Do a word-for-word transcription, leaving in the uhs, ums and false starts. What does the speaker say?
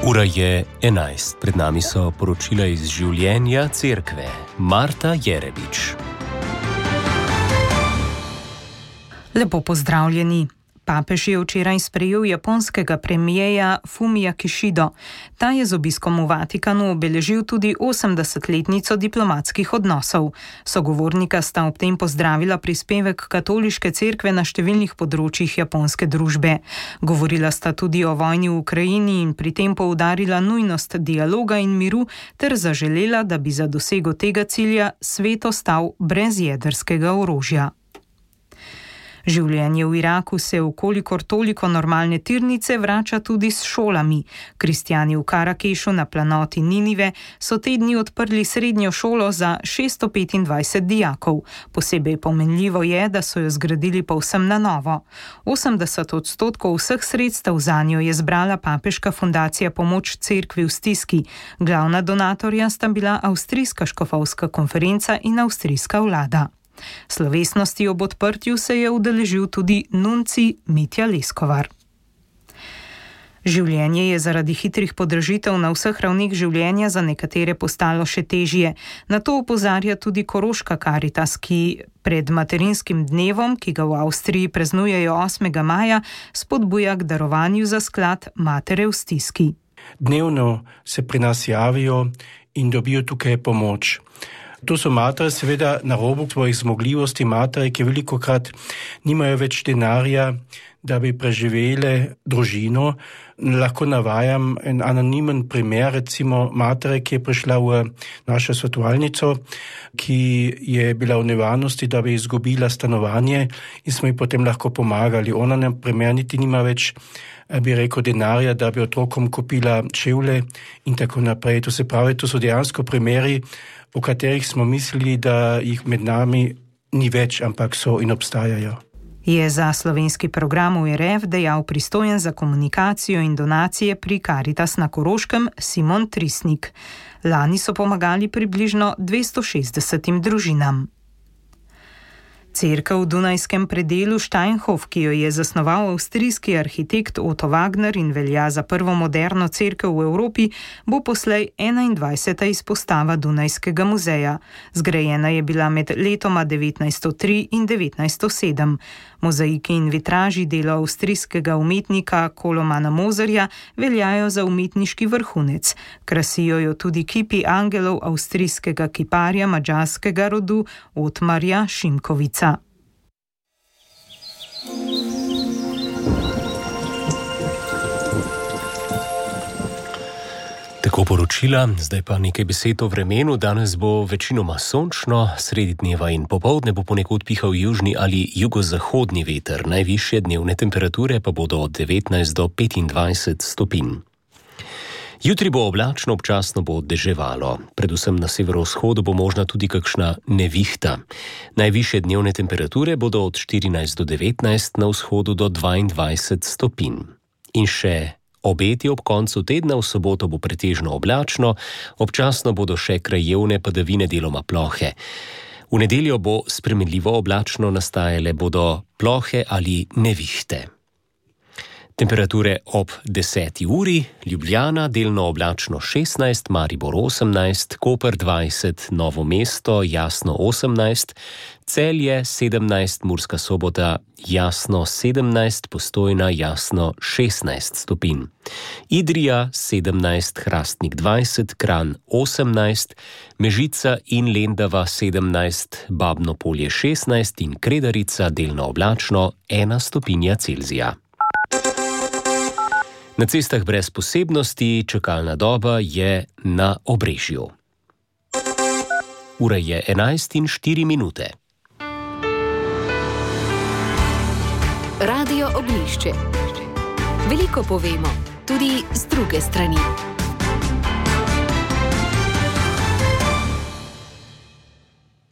Ura je enajst, pred nami so poročila iz življenja cerkve. Marta Jerebič. Lepo pozdravljeni. Papež je včeraj sprejel japonskega premijeja Fumija Kishido. Ta je z obiskom v Vatikanu obeležil tudi osemdesetletnico diplomatskih odnosov. Sogovornika sta ob tem pozdravila prispevek katoliške cerkve na številnih področjih japonske družbe. Govorila sta tudi o vojni v Ukrajini in pri tem poudarila nujnost dialoga in miru ter zaželela, da bi za dosego tega cilja svet ostal brez jedrskega orožja. Življenje v Iraku se v kolikor toliko normalne tirnice vrača tudi s šolami. Kristjani v Karakešu na planoti Ninive so te dni odprli srednjo šolo za šeststo petindvajset dijakov. Posebej pomenljivo je, da so jo zgradili povsem na novo. osemdeset odstotkov vseh sredstev zanjo je zbrala papeška fundacija Pomoč cerkvi v stiski. Glavna donatorja sta bila avstrijska škofovska konferenca in avstrijska vlada. Slovesnosti ob odprtju se je udeležil tudi nunci Mitja Leskovar. Življenje je zaradi hitrih podražitev na vseh ravneh življenja za nekatere postalo še težje. Na to opozarja tudi Koroška Karitas, ki pred materinskim dnevom, ki ga v Avstriji praznujejo osmega maja, spodbuja k darovanju za sklad Matere v stiski. Dnevno se pri nas javijo in dobijo tukaj pomoč. To so matere seveda na robu svojih zmogljivosti, matere, ki velikokrat nimajo več denarja, da bi preživele družino. Lahko navajam en anonimen primer, recimo matere, ki je prišla v našo svetovalnico, ki je bila v nevarnosti, da bi izgubila stanovanje in smo ji potem lahko pomagali. Ona na primer niti nima več, bi rekel, denarja, da bi otrokom kupila čevlje in tako naprej. To se pravi, to so dejansko primeri, o katerih smo mislili, da jih med nami ni več, ampak so in obstajajo. Je za slovenski program v R F dejal pristojen za komunikacijo in donacije pri Karitas na Koroškem Simon Trisnik. Lani so pomagali približno dvesto šestdesetim družinam. Cerkev v Dunajskem predelu Steinhof, ki jo je zasnoval avstrijski arhitekt Otto Wagner in velja za prvo moderno cerkev v Evropi, bo poslej enaindvajseta izpostava Dunajskega muzeja. Zgrajena je bila med letoma devetnajststo tri in devetnajststo sedem. Mozaiki in vitraži dela avstrijskega umetnika Kolomana Mozerja veljajo za umetniški vrhunec. Krasijo jo tudi kipi angelov avstrijskega kiparja madžarskega rodu Otmarja Šimkovica. Tako poročila, zdaj pa nekaj besed o vremenu. Danes bo večinoma sončno, sredi dneva in popoldne bo ponekod pihal južni ali jugozahodni veter. Najvišje dnevne temperature pa bodo od devetnajst do petindvajset stopinj. Jutri bo oblačno, občasno bo deževalo. Predvsem na severovzhodu bo možna tudi kakšna nevihta. Najvišje dnevne temperature bodo od štirinajst do devetnajst, na vzhodu do dvaindvajset stopinj. In še obeti ob koncu tedna, v soboto bo pretežno oblačno, občasno bodo še krajevne padavine, deloma plohe. V nedeljo bo spremenljivo oblačno, nastajale bodo plohe ali nevihte. Temperature ob deseti uri: Ljubljana delno oblačno šestnajst, Maribor osemnajst, Koper dvajset, Novo mesto jasno osemnajst, Celje sedemnajst, Murska Sobota jasno sedemnajst, Postojna jasno šestnajst stopinj. Idrija sedemnajst, Hrastnik dvajset, Kranj osemnajst, Mežica in Lendava sedemnajst, Babno Polje šestnajst in Kredarica delno oblačno ena stopinja Celzija. Na cestah brez posebnosti, čakalna doba je na Obrežju. Ura je enajst in štiri minute. Radio Oglišče. Veliko povemo, tudi z druge strani.